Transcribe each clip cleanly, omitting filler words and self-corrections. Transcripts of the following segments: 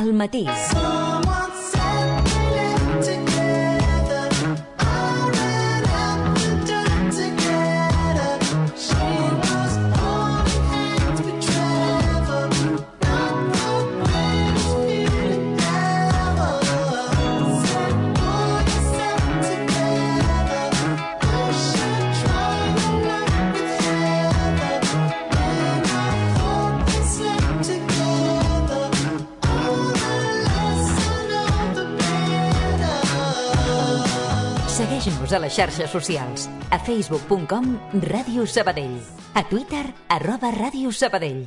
al matí. Segueix-nos a les xarxes socials. A facebook.com Ràdio Sabadell. A Twitter @Ràdio Sabadell.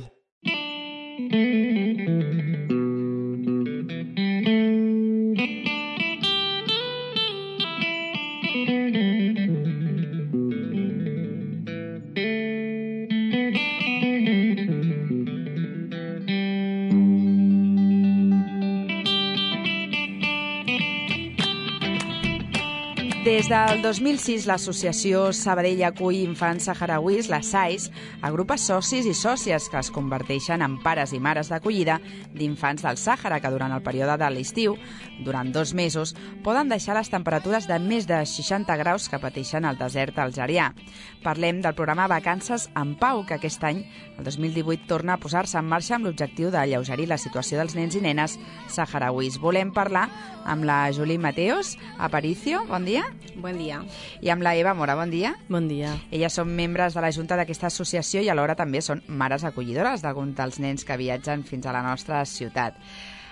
Des del 2006, l'associació Sabadell acull infants saharauis, la SAIS, agrupa socis i sòcies que es converteixen en pares i mares d'acollida d'infants del Sàhara que durant el període de l'estiu, durant 2 mesos, poden deixar les temperatures de més de 60 graus que pateixen al desert algerià. Parlem del programa Vacances en Pau, que aquest any, el 2018, torna a posar-se en marxa amb l'objectiu d'alleugerir la situació dels nens i nenes saharauis. Volem parlar amb la Julie Mateos Aparicio. Bon dia. Bon dia. I amb la Eva Mora, bon dia. Bon dia. Elles són membres de la Junta d'aquesta associació i alhora també són mares acollidores d'alguns dels nens que viatgen fins a la nostra ciutat.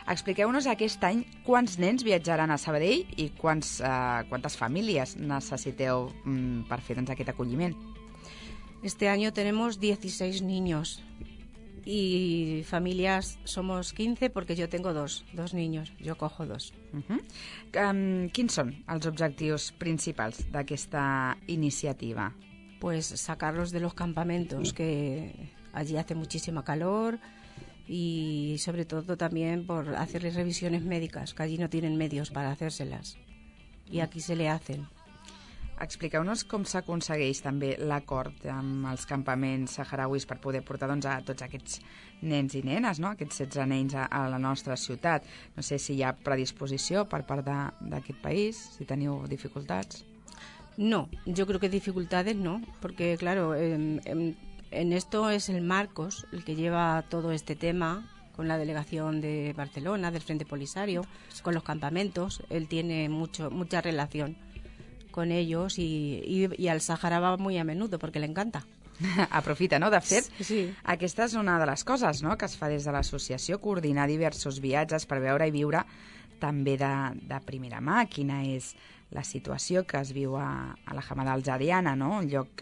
Expliqueu-nos aquest any quants nens viatjaran a Sabadell i quantes famílies necessiteu per fer aquest acolliment. Este año tenemos 16 niños y familias somos 15 porque yo tengo dos niños, yo cojo 2. Quins són els objectius principals d'aquesta iniciativa? Pues sacarlos de los campamentos, que allí hace muchísima calor, y sobre todo también por hacerles revisiones médicas, que allí no tienen medios para hacérselas y aquí se le hacen. Expliqueu-nos com s'aconsegueix també l'acord amb els campaments saharauis per poder portar a tots aquests nens i nenes, no? Aquests 16 nens a la nostra ciutat. No sé si hi ha predisposició per part d'aquest país, si teniu dificultats. No, yo creo que dificultades no, porque claro, en esto es el Marcos el que lleva todo este tema con la delegación de Barcelona, del Frente Polisario, con los campamentos. Él tiene mucha relación con ellos y al Sàhara va muy a menudo porque le encanta. Aprofita, no? De fet, sí. Aquesta és una de les coses, no?, que es fa des de l'associació, coordinar diversos viatges per veure i viure també de primera mà quina és la situació que es viu a la Hamada algeriana, no?, un lloc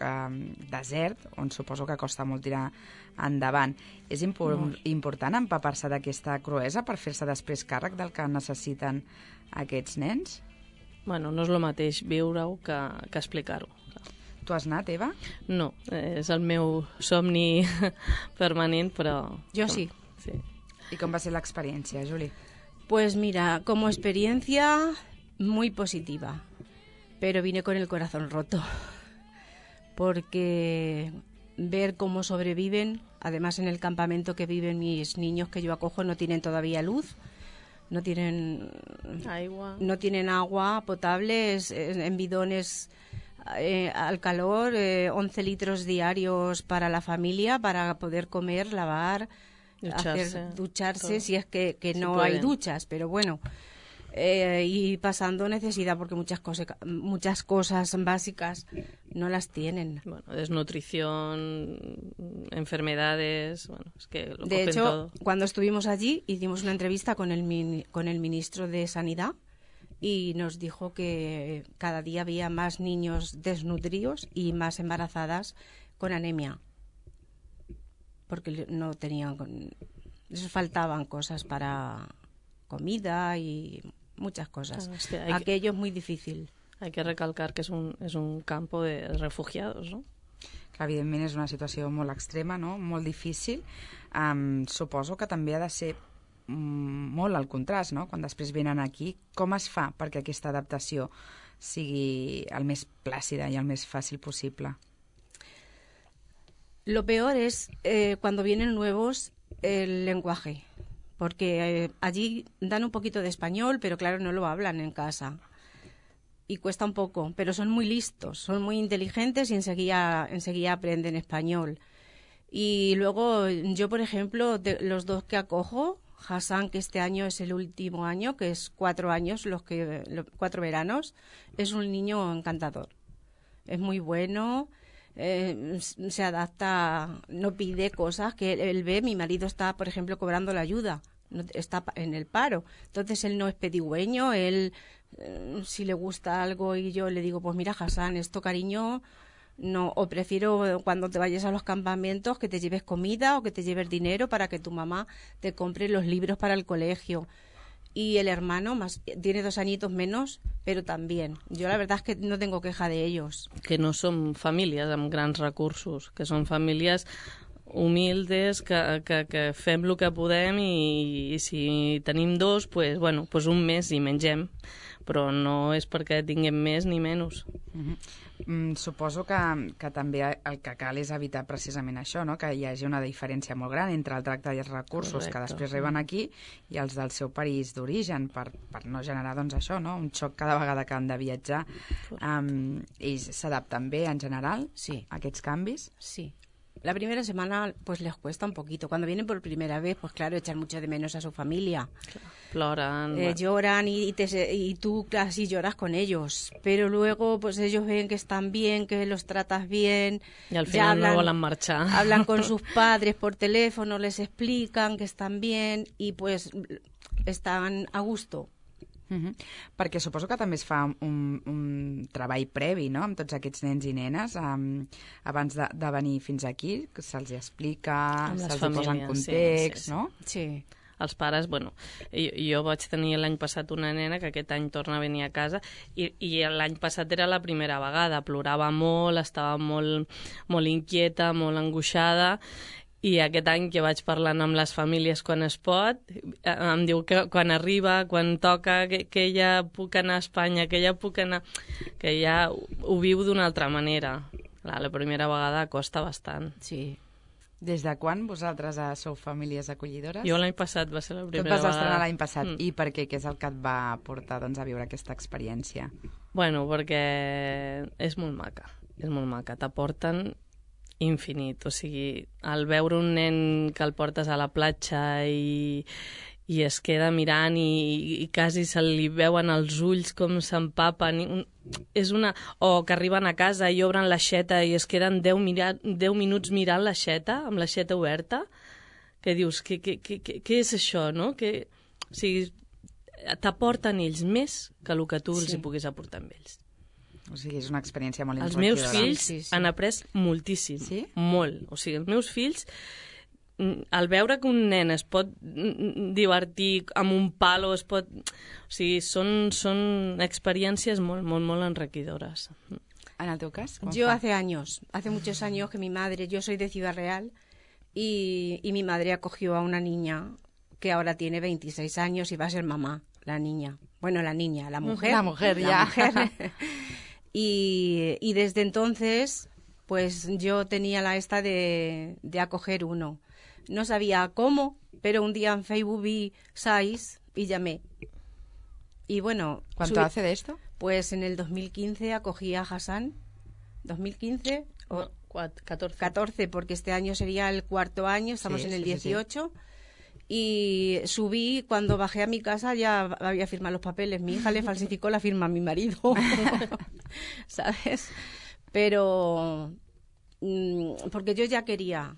desert on suposo que costa molt tirar endavant. És important empapar-se d'aquesta cruesa per fer-se després càrrec del que necessiten aquests nens? Bueno, no és el mateix viure-ho que explicar-ho. Tu has anat, Eva? No, és el meu somni permanent, però... Jo sí. I com va ser l'experiència, Juli? Pues mira, como experiencia muy positiva, pero vine con el corazón roto, porque ver cómo sobreviven, además en el campamento que viven mis niños que yo acojo no tienen todavía luz, no tienen agua potable, en bidones al calor, 11 litros diarios para la familia, para poder comer, lavar, ducharse si es que no hay duchas, pero bueno, y pasando necesidad porque muchas cosas básicas no las tienen. Bueno, desnutrición, enfermedades, bueno, es que lo de hecho, todo. Cuando estuvimos allí hicimos una entrevista con el ministro de Sanidad y nos dijo que cada día había más niños desnutridos y más embarazadas con anemia, porque no tenían, les faltaban cosas para comida y muchas cosas. Aquello es muy difícil. Hay que recalcar que es un campo de refugiados, ¿no? Clar, evidentment és una situació molt extrema, no?, molt difícil. Suposo que també ha de ser molt el contrast, no?, quan després venen aquí. Com es fa perquè aquesta adaptació sigui el més plàcida i el més fàcil possible? Lo peor es cuando vienen nuevos el lenguaje, porque allí dan un poquito de español, pero claro, no lo hablan en casa. Y cuesta un poco, pero son muy listos, son muy inteligentes y enseguida aprenden español. Y luego yo, por ejemplo, los dos que acojo, Hassan, que este año es el último año, que es 4 años, 4 veranos, es un niño encantador. Es muy bueno, se adapta, no pide cosas que él ve. Mi marido está, por ejemplo, cobrando la ayuda, está en el paro. Entonces él no es pedigüeño, él... si le gusta algo y yo le digo, pues mira, Hassan, esto, cariño, no, o prefiero cuando te vayas a los campamentos que te lleves comida o que te lleves dinero para que tu mamá te compre los libros para el colegio. Y el hermano tiene 2 añitos menos, pero también. Yo la verdad es que no tengo queja de ellos. Que no són famílies amb grans recursos, que són famílies humildes, que fem el que podem i si tenim 2, pues, bueno, pues un mes i mengem, però no és perquè tinguem més ni menys. Suposo que també el que cal és evitar precisament això, no? Que hi hagi una diferència molt gran entre el tracte i els recursos que després reben aquí i els del seu país d'origen, per no generar doncs, això, no? Un xoc cada vegada que han de viatjar. Ells s'adapten bé en general a aquests canvis? Sí. La primera semana pues les cuesta un poquito. Cuando vienen por primera vez, pues claro, echan mucho de menos a su familia. Lloran. Lloran y tú casi lloras con ellos. Pero luego pues ellos ven que están bien, que los tratas bien. Y al final no volen marxar. Hablan con sus padres por teléfono, les explican que están bien y pues están a gusto. Perquè suposo que també es fa un treball previ, no?, amb tots aquests nens i nenes abans de venir fins aquí, que se'ls explica, se'ls posa en context, no? Sí. Els pares, bueno, jo vaig tenir l'any passat una nena que aquest any torna a venir a casa i l'any passat era la primera vegada, plorava molt, estava molt inquieta, molt angoixada. I aquest any que vaig parlant amb les famílies quan es pot, em diu que quan arriba, quan toca, que ja puc anar a Espanya, que ja puc anar... que ja ho viu d'una altra manera. La primera vegada costa bastant. Sí. Des de quan vosaltres sou famílies acollidores? Jo l'any passat va ser la primera vegada. Tu et vas estrenar l'any passat. I per què? Què és el que et va portar a viure aquesta experiència? Bueno, perquè és molt maca. És molt maca. T'aporten infinit, o sigui, al veure un nen que el portes a la platja i es queda mirant i quasi se li veuen els ulls com s'empapen, o que arriben a casa i obren l'aixeta i es queden 10 minuts mirant l'aixeta, amb l'aixeta oberta, que dius, què és això, no? O sigui, t'aporten ells més que el que tu els hi puguis aportar amb ells. O sigui, és una experiència molt enriquidora. Els meus fills han après moltíssim, molt. O sigui, els meus fills, al veure que un nen es pot divertir amb un palo, o sigui, són experiències molt, molt, molt enriquidores. En el teu cas? Yo hace muchos años que mi madre, yo soy de Ciudad Real, y mi madre acogió a una niña que ahora tiene 26 años y va a ser mamá, la niña. Bueno, la niña, la mujer. La mujer, ya. Y desde entonces, pues yo tenía la esta de acoger uno. No sabía cómo, pero un día en Facebook vi 6 y llamé. Y bueno... ¿Cuánto hace de esto? Pues en el 2015 acogí a Hassan. ¿2015? No, 14. 14, porque este año sería el 4º año, estamos en el 18. Y subí, cuando bajé a mi casa ya había firmado los papeles. Mi hija le falsificó la firma a mi marido, ¿sabes? Pero porque yo ya quería.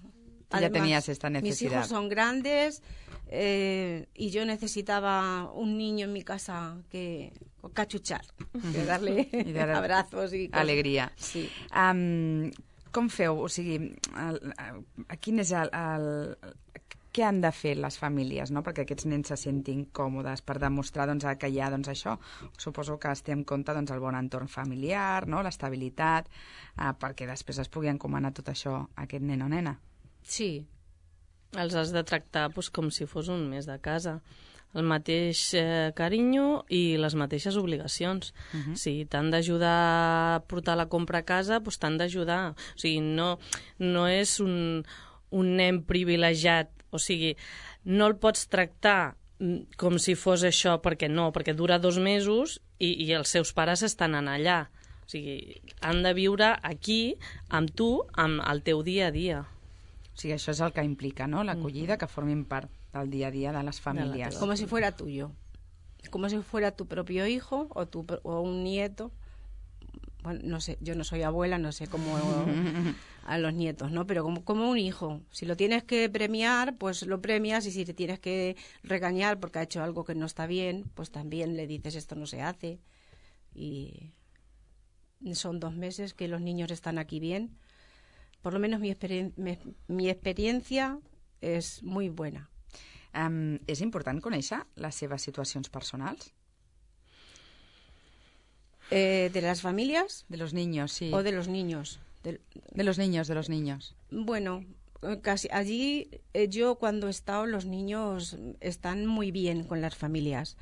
Además, ya tenías esta necesidad. Mis hijos son grandes y yo necesitaba un niño en mi casa que cachuchar, que darle abrazos y cosas. Alegria. Sí. Com feu? O sigui, quin és què han de fer les famílies, no?, perquè aquests nens se sentin còmodes, per demostrar doncs, que hi ha això. Suposo que es té en compte doncs, el bon entorn familiar, no?, l'estabilitat, perquè després es pugui encomanar tot això a aquest nen o nena. Sí. Els has de tractar com si fos un mes de casa. El mateix carinyo i les mateixes obligacions. Si t'han d'ajudar a portar la compra a casa, doncs t'han d'ajudar. O sigui, no és un nen privilegiat. O sigui, no el pots tractar com si fos això, perquè no, perquè dura 2 mesos i els seus pares estan allà. O sigui, han de viure aquí, amb tu, amb el teu dia a dia. O sigui, això és el que implica, no?, l'acollida, que formin part del dia a dia de les famílies. Como si fuera tuyo. Como si fuera tu propio hijo o un nieto. Bueno, no sé, yo no soy abuela, no sé cómo a los nietos, ¿no? Pero como un hijo. Si lo tienes que premiar, pues lo premias, y si te tienes que regañar porque ha hecho algo que no está bien, pues también le dices esto no se hace. Y son 2 meses que los niños están aquí bien. Por lo menos mi experiencia és muy buena. És important conèixer les seves situacions personals? ¿De las familias? De los niños, sí. ¿O de los niños? De los niños. Bueno, casi allí yo cuando he estado, los niños están muy bien con las familias.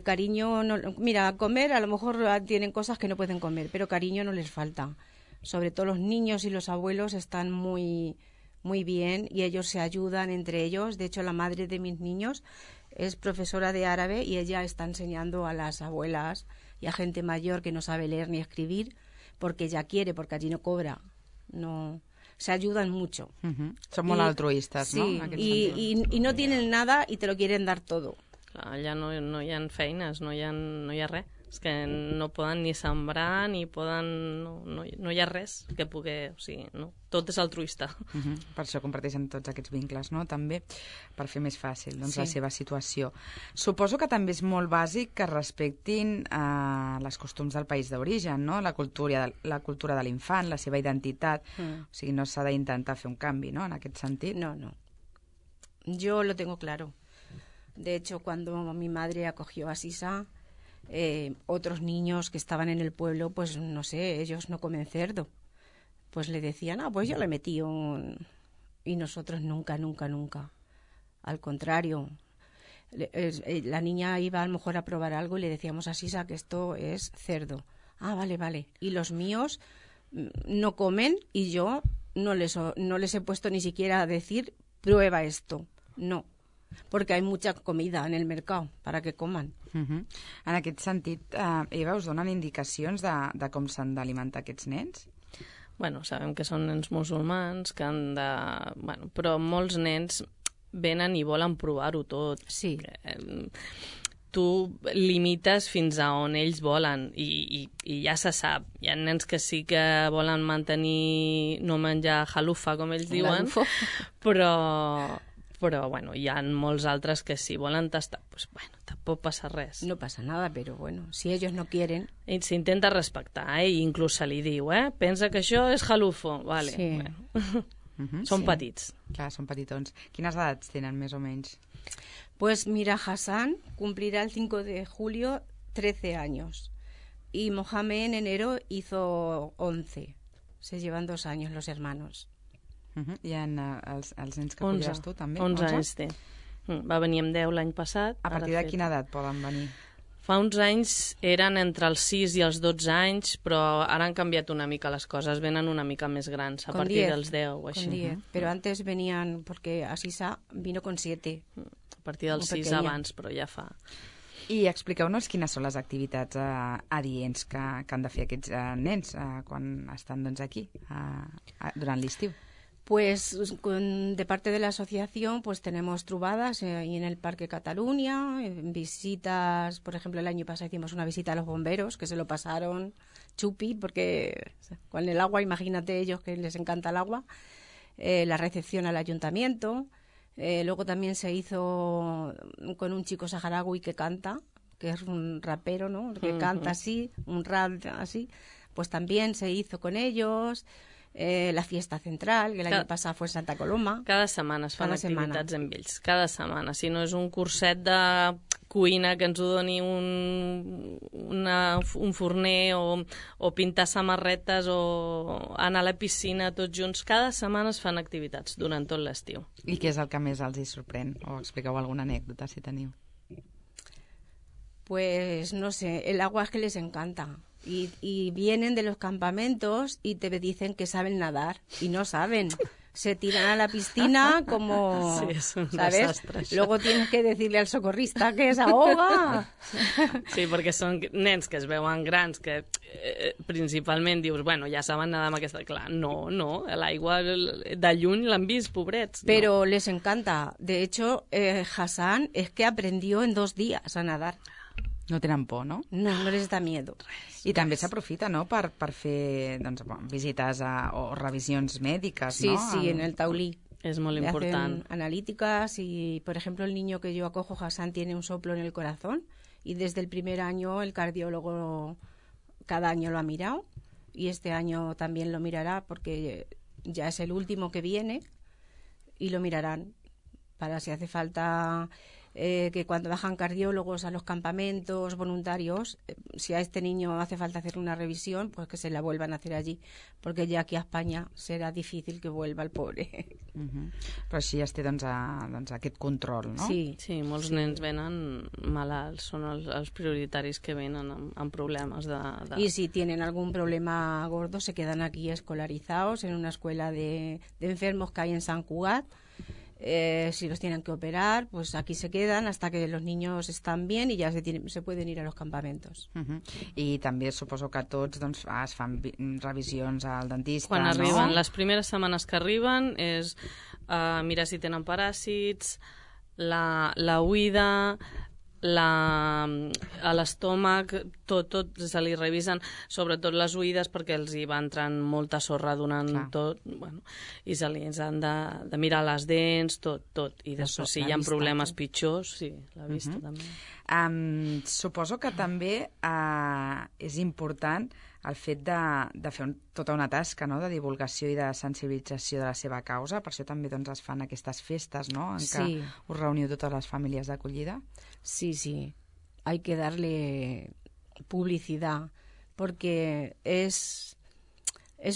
Cariño, no, mira, comer a lo mejor tienen cosas que no pueden comer, pero cariño no les falta. Sobre todo los niños y los abuelos están muy bien y ellos se ayudan entre ellos. De hecho, la madre de mis niños es profesora de árabe y ella está enseñando a las abuelas y a gente mayor que no sabe leer ni escribir porque ella quiere, porque allí no cobra. No, se ayudan mucho. Són molt altruistes, sí, no? Y no tienen nada y te lo quieren dar todo. Clar, allà no hi ha feines, no hi ha res. És que no poden ni sembrar, ni poden... No hi ha res que pugui... O sigui, no. Tot és altruista. Per això comparteixen tots aquests vincles, no?, també, per fer més fàcil la seva situació. Suposo que també és molt bàsic que respectin les costums del país d'origen, no?, la cultura de l'infant, la seva identitat. O sigui, no s'ha d'intentar fer un canvi, no?, en aquest sentit. No. Yo lo tengo claro. De hecho, cuando mi madre acogió a Sisa, otros niños que estaban en el pueblo, pues no sé, ellos no comen cerdo. Pues le decían, pues yo le metí un... Y nosotros nunca. Al contrario, la niña iba a lo mejor a probar algo y le decíamos a Sisa que esto es cerdo. Vale. Y los míos no comen y yo no les he puesto ni siquiera a decir, prueba esto. No. Perquè hi ha mucha comida en el mercat para que coman. En aquest sentit, Eva, us donen indicacions de com s'han d'alimentar aquests nens? Bueno, sabem que són nens musulmans, que han de... Bueno, però molts nens venen i volen provar-ho tot. Sí. Tu limites fins a on ells volen i ja se sap. Hi ha nens que sí que volen mantenir, no menjar halufa, com ells diuen, però bueno, hi ha molts altres que si volen tastar, pues bueno, tampoc passa res. No pasa nada, pero bueno, si ellos no quieren... I s'intenta respectar, i inclús se li diu, pensa que això és halufo, vale. Sí. Bueno. Són petits. Clar, són petitons. Quines edats tenen, més o menys? Pues mira, Hassan cumplirá el 5 de julio 13 años y Mohamed en enero hizo 11. Se llevan 2 años los hermanos. Hi ha els nens que acollides tu, també? 11 anys té. Va venir amb 10 l'any passat. A partir de quina edat poden venir? Fa uns anys eren entre els 6 i els 12 anys, però ara han canviat una mica les coses, venen una mica més grans, a partir dels 10 o així. Con 10, pero antes venían, porque Asisa vino con 7. A partir dels 6 abans, però ja fa... I expliqueu-nos quines són les activitats adients que han de fer aquests nens quan estan aquí, durant l'estiu. Pues de parte de la asociación pues tenemos trubadas y en el Parque Cataluña, visitas, por ejemplo el año pasado hicimos una visita a los bomberos que se lo pasaron chupi porque con el agua, imagínate ellos que les encanta el agua, la recepción al ayuntamiento, luego también se hizo con un chico saharaui que canta, que es un rapero, ¿no?, que canta así, un rap así, pues también se hizo con ellos. La fiesta central, que el año pasado fue en Santa Coloma. Cada setmana es fan activitats amb ells, cada setmana. Si no és un curset de cuina que ens ho doni un forner o pintar samarretes o anar a la piscina tots junts, cada setmana es fan activitats durant tot l'estiu. I què és el que més els hi sorprèn? O expliqueu alguna anècdota, si teniu. Pues no sé, el agua es que les encanta. Y vienen de los campamentos y te dicen que saben nadar y no saben. se tiran a la piscina como... Sí, és un ¿sabes? desastre, això. Luego tienes que decirle al socorrista que se ahoga. Sí, perquè són nens que es veuen grans, que principalment dius, bueno, ja saben nedar amb aquesta... Clar, no, l'aigua de lluny l'han vist, pobrets. Pero les encanta. De hecho, Hassan es que aprendió en 2 días a nadar. No tenen por, no? No les da miedo. I també s'aprofita, no?, per fer visites o revisions mèdiques, sí, ¿no? Sí, en el taulí. És molt Le important. hacen analíticas y, por ejemplo, el niño que yo acojo, Hassan, tiene un soplo en el corazón y desde el primer año el cardiólogo cada año lo ha mirado y este año también lo mirará porque ya es el último que viene y lo mirarán para si hace falta... que cuando bajan cardiólogos a los campamentos voluntarios, si a este niño hace falta hacer una revisión, pues que se la vuelvan a hacer allí, porque ya aquí a Espanya serà difícil que vuelva el pobre. Però així es té aquest control, no? Sí, molts nens venen malalts, són els prioritaris que venen amb problemes de... Y si tienen algún problema gordo, se quedan aquí escolarizados en una escuela de enfermos que hay en Sant Cugat. Si los tienen que operar, pues aquí se quedan hasta que los niños están bien y ya se pueden ir a los campamentos. I també suposo que tots es fan revisions al dentista, Quan no? arriben, les primeres setmanes que arriben és mirar si tenen paràsits, la oïda, a l'estómac, tot se li revisen, sobretot les oïdes perquè els hi va entrant molta sorra donant tot, bueno, i se li han de mirar les dents, tot. I després si hi ha problemes pitjors, sí, la vista també. Suposo que també és important el fet de fer tota una tasca, no?, de divulgació i de sensibilització de la seva causa. Per això també es fan aquestes festes, no?, en què us reuniu totes les famílies d'acollida. Sí. Hay que darle publicidad porque es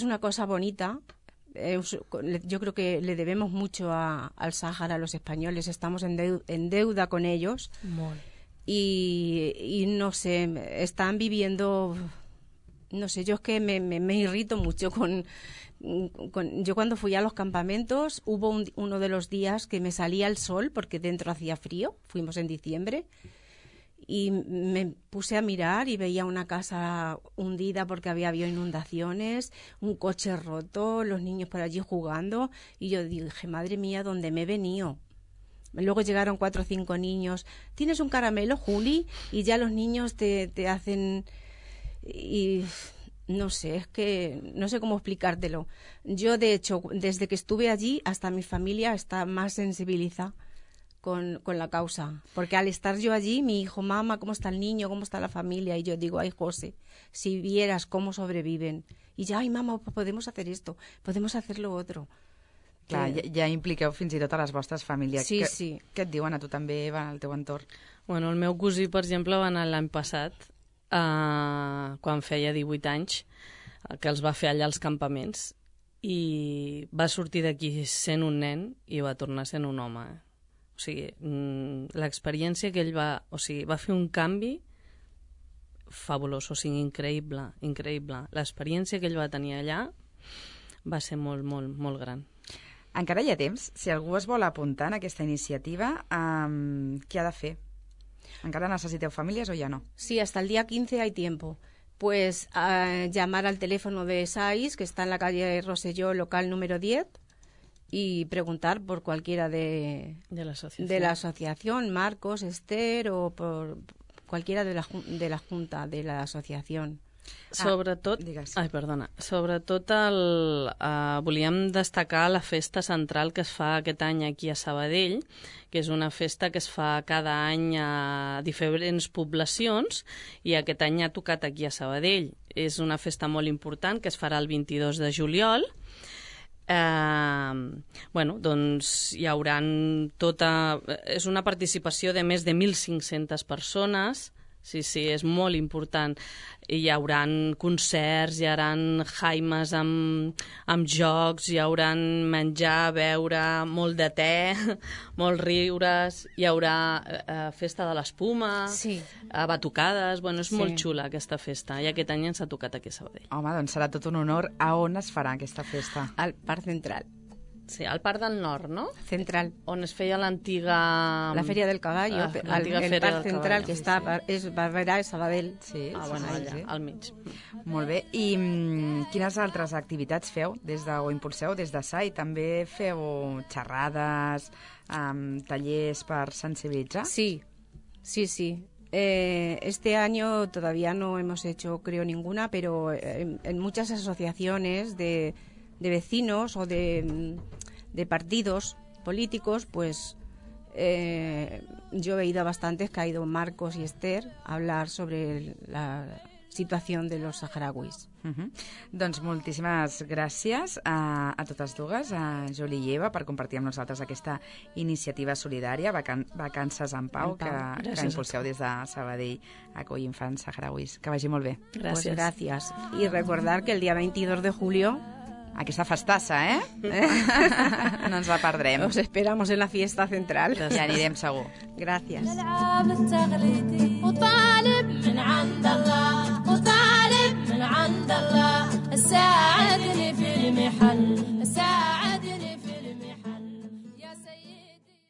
una cosa bonita. Yo creo que le debemos mucho al Sáhara, a los españoles. Estamos en deuda con ellos. Y no sé, están viviendo... No sé, yo es que me irrito mucho yo cuando fui a los campamentos, hubo uno de los días que me salía el sol porque dentro hacía frío, fuimos en diciembre, y me puse a mirar y veía una casa hundida porque había habido inundaciones, un coche roto, los niños por allí jugando, y yo dije, madre mía, ¿dónde me he venido? Luego llegaron 4 o 5 niños, ¿tienes un caramelo, Juli? Y ya los niños te hacen... Y no sé, es que no sé cómo explicártelo. Yo, de hecho, desde que estuve allí, hasta mi familia está más sensibilizada con la causa. Porque al estar yo allí, mi hijo, mamá, ¿cómo está el niño? ¿Cómo está la familia? Y yo digo, ay, José, si vieras cómo sobreviven. Y ya, ay, mamá, podemos hacer esto, podemos hacer lo otro. Clar, ja impliqueu fins i tot a les vostres famílies. Sí. Què et diuen a tu també, Eva, al teu entorn? Bueno, el meu cosí, per exemple, va anar l'any passat, quan feia 18 anys, que els va fer allà als campaments, i va sortir d'aquí sent un nen i va tornar sent un home. O sigui, l'experiència que ell va... O sigui, va fer un canvi fabulós, o sigui, increïble. L'experiència que ell va tenir allà va ser molt, molt, molt gran. Encara hi ha temps? Si algú es vol apuntar en aquesta iniciativa, què ha de fer? ¿Encara necesiteu familias o ya no? Sí, hasta el día 15 hay tiempo. Pues llamar al teléfono de SAIS, que está en la calle Rosselló, local número 10, y preguntar por cualquiera de la asociación, Marcos, Esther, o por cualquiera de la junta de la asociación. Sobretot, volíem destacar la festa central que es fa aquest any aquí a Sabadell, que és una festa que es fa cada any a diferents poblacions, i aquest any ha tocat aquí a Sabadell. És una festa molt important que es farà el 22 de juliol. Doncs hi hauran és una participació de més de 1.500 persones. Sí, és molt important. Hi haurà concerts, hi haurà jaimes amb jocs, hi haurà menjar, beure, molt de te, molts riures, hi haurà festa de l'espuma, batucades... Bueno, és molt xula aquesta festa, i aquest any ens ha tocat aquí a Sabadell. Home, doncs serà tot un honor. A on es farà aquesta festa? Al Parc Central. Sí, al Parc del Nord, no? Central. On es feia l'antiga... La Feria del Caballo, el Parc Central, que està és Barberà i Sabadell. Sí, bueno, allà, al mig. Molt bé. I quines altres activitats feu o impulseu des de SAI? També feu xerrades, tallers per sensibilitzar? Sí. Este año todavía no hemos hecho, creo, ninguna, pero en muchas asociaciones de vecinos o de partidos políticos, pues yo he ido a bastantes, que ha ido Marcos y Esther a hablar sobre la situación de los saharauis. Doncs moltíssimes gràcies a totes dues, a Juli i Eva, per compartir amb nosaltres aquesta iniciativa solidària, Vacances en Pau, que impulseu des de Sabadell a acollir infants saharauis. Que vagi molt bé. Pues gracias. Y recordar que el día 22 de julio... Aquesta festassa, no ens la perdrem. Os esperamos en la fiesta central. Ja anirem segur. Gràcies.